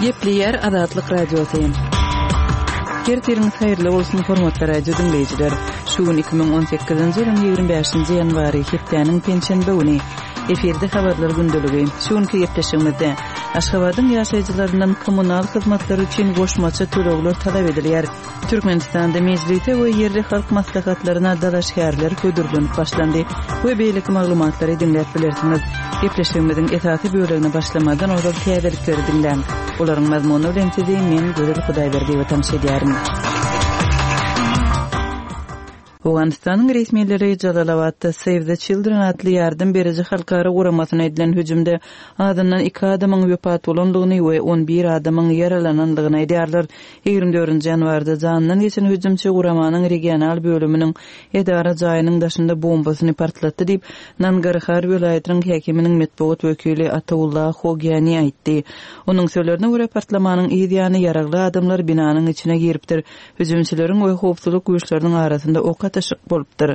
Gepleýär Azatlyk Radiosy. Ertiriňiz haýyrly bolsun, hormatly radio diňleýjiler. Şu gün 2018-nji ýylyň 25-nji ýanwary, hepdäniň penşenbe güni. Efirde habarlar gündeligi. Şu günki gepleşigimizde Aşgabadyň ýaşaýjylaryndan kommunal hyzmatlary üçin goşmaça tölegler talap edilýär. Türkmenistanda Mejlise we ýerli halk maslahatlaryna dalaşgärler hödürlenip başlandy we beýleki maglumatlary diňläp bilersiňiz. Gepleşigimiziň esasy bölegine başlamazdan ozal täzelikleri diňläň. Olaryň mazmuny bilen sizi men Gözel Hudaýberdiýewa tanyş edýärin. Owganystanyň resmileri Jalalabatda Save the Children atly ýardam beriji halkara guramasyna edilen hüjümde azyndan iki adamyň wepat bolandygyny we on bir adamyň ýaralanandygyny aýdýarlar. 24-nji ýanwarda janyndan geçen hüjümçi guramanyň regional bölüminiň edara jaýynyň daşynda bombasyny partlatdy diýip, Nangarhar welaýatynyň häkiminiň metbugat wekili Ataullah Hogyani aýtdy. Onuň sözlerine görä, partlamanyň yz ýany ýaragly adamlar binanyň içine giripdir. Hüjümçileriň we howpsuzlyk güýçleriniň arasynda ok atyşyk bolupdyr.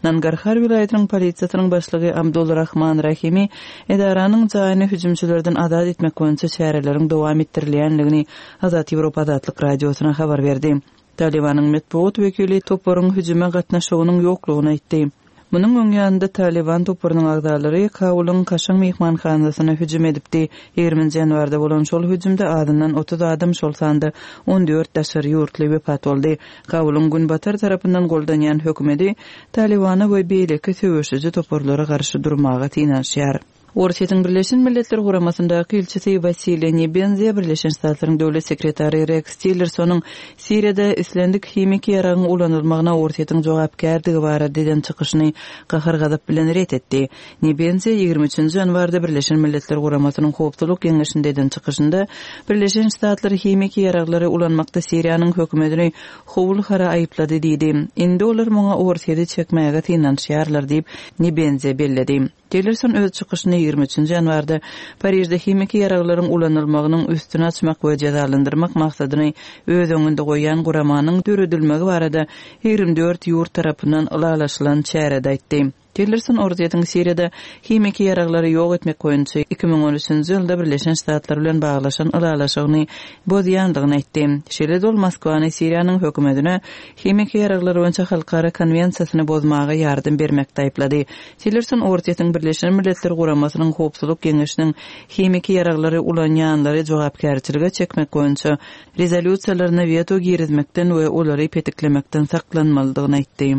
Nangarhar welaýatynyň polisiýasynyň başlygy Abdul Rahman Rahimi edaranyň jaýyny hüjümçilerden azat etmek boýunça çäreleriň dowam etdirilýändigini Azat Ýewropa Azatlyk Radiosyna habar berdi. Talybanyň metbugat wekili toparyň hüjüme gatnaşygynyň ýoklugyny aýtdy. Munuň öň ýanynda Talyban toparynyň agzalary Kabulyň kaşaň myhmanhanasyna hüjüm edipdi. Ýigriminji ýanwarda bolan şol hüjümde azyndan 30 adam, şol sanda 14 daşary ýurtly wepat boldy. Kabulyň günbatar tarapyndan goldanýan hökümeti Talybana we beýleki söweşiji toparlara garşy durmaga synanyşýar. Orsýetiň Birleşen Milletler Guramasyndaky ilçisi Wasiliý Nebenzýa Birleşen Ştatlaryň Döwlet sekretary Reks Tillersonyň Siriýada islendik himiki ýaragyň ulanylmagyna Orsýetiň jogapkärdigi barada eden çykyşyny gahar-gazap bilen ret etdi. Nebenzýa 23 nji ýanwarda Birleşen Milletler Guramasynyň Howpsuzlyk Geňeşinde eden çykyşynda Birleşen Ştatlar himiki ýaraglary ulanmakda Siriýanyň hökümetini howul-hara aýyplady diýdi. Indi olar muňa Orsýeti çekmäge synanyşýarlar diýip, Nebenzýa belledi. Tillerson öz çykyşyny 23 nji ýanwarda Parižde himiki ýaraglaryň ulanylmagynyň üstüni açmak we jezalandyrmak maksadyny öz öňünde goýýan guramanyň döredilmegi barada 24 ýurt tarapyndan ylalaşylan çärede aýtdy. Tillerson Orsýetiň Siriýada himiki ýaraglary ýok etmek boýunça 2013-nji ýylda Birleşen Ştatlar bilen baglaşan ylalaşygyny bozýandygyny aýtdy. Şeýle-de ol Moskwany Siriýanyň hökümetine himiki ýaraglar boýunça halkara konwensiýasyny bozmaga ýardam bermekde aýyplady. Tillerson Orsýetiň Birleşen Milletler Guramasynyň Howpsuzlyk Geňeşiniň himiki ýaraglary ulanýanlary jogapkärçilige çekmek boýunça rezolýusiýalaryna weto girizmekden we olary petiklemekden saklanmalydygyny aýtdy.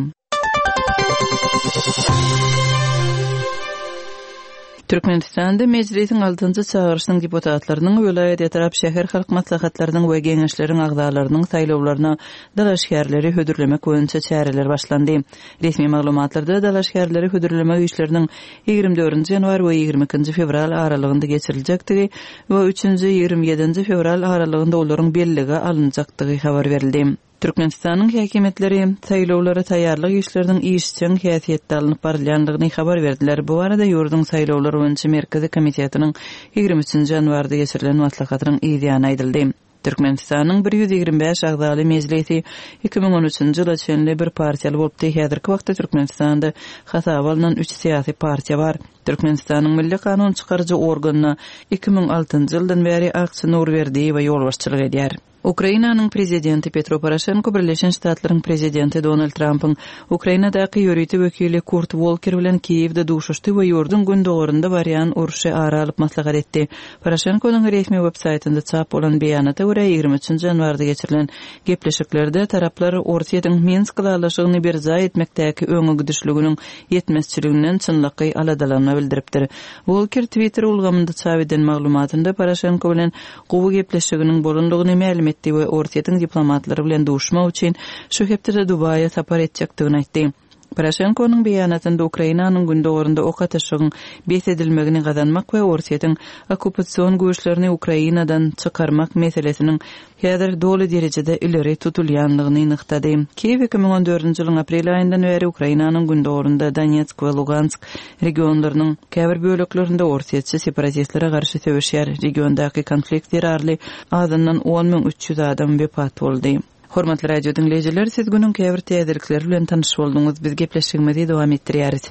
Türkmenistanda Mejlisiň altynjy çagyryşynyň deputatlarynyň, welaýat, etrap, şäher halk maslahatlarynyň we Geňeşleriň agzalarynyň saýlawlaryna dalaşgärleri hödürlemek boýunça çäreler başlandy. Resmi maglumatlarda dalaşgärleri hödürlemek işleriniň 24-nji ýanwar we 22-nji fewral aralygynda geçiriljekdigi we üçünji, 27-nji fewral aralygynda olaryň bellige alynjakdygy habar berildi. Türkmenistanyň häkimiýetleri saýlawlara taýýarlyk işleriniň işjeň häsiýetde alnyp barylýandygyny habar berdiler. Bu barada ýurduň Saýlawlar boýunça merkezi komitetiniň 23-nji ýanwarda geçirilen maslahatynyň yzýany aýdyldy. Türkmenistanyň 125 agzaly Mejlisi 2013-nji ýyla çenli bir partiýaly bolupdy. Häzirki wagtda Türkmenistanda hasaba alnan üç syýasy partiýa bar. Türkmenistanyň Milli kanun çykaryjy organyna 2006-njy ýyldan bäri Akçy Nurberdiýewa ýolbaşçylyk edýär. Ukrainanyň prezidenti Petro Poroşenko Birleşen Ştatlaryň prezidenti Donald Trampyň Ukrainadaky ýörite wekili Kurt Wolker bilen Kiýewde duşuşdy we ýurduň gündogarynda barýan urşy ara alyp maslahat etdi. Poroşenkonyň resmi web-saýtynda çap bolan beýanata görä, 23 nji ýanwarda geçirilen gepleşiklerde taraplar Orsýetiň Minsk ylalaşygyny berjaý etmekdäki öňegidişliginiň ýetmezçiliginden çynlakaý aladalanma bildiripdir. Wolker Twitter ulgamynda çap eden maglumatynda Poroşenko bilen gowy gepleşiginiň bolandygyny mälim etdi we Orsýetiň diplomatlary bilen duşmak üçin şu hepdede Dubaýa sapar etjekdigini aýtdy. Poroşenkonyň beýanatynda Ukrainanyň gündogarynda ok atyşygyň bes edilmegini gazanmak we Orsýetiň okkupasion güýçlerini Ukrainadan çykarmak meselesiniň häzir doly derejede ileri tutulýandygyny nygtady. Kiýew 2014-nji ýylyň aprel aýyndan bäri Ukrainanyň gündogarynda Donetsk we Lugansk regionlarynyň käbir böleklerinde orsýetçi separatistlere garşy söweşýär. Regiondaky konflikt zerarly azyndan 10 300 adam wepat boldy. Hormatly radio diňleýjiler, siz günüň käbir täzelikleri bilen tanyş bolduňyz. Biz gepleşigimizi dowam etdirýäris.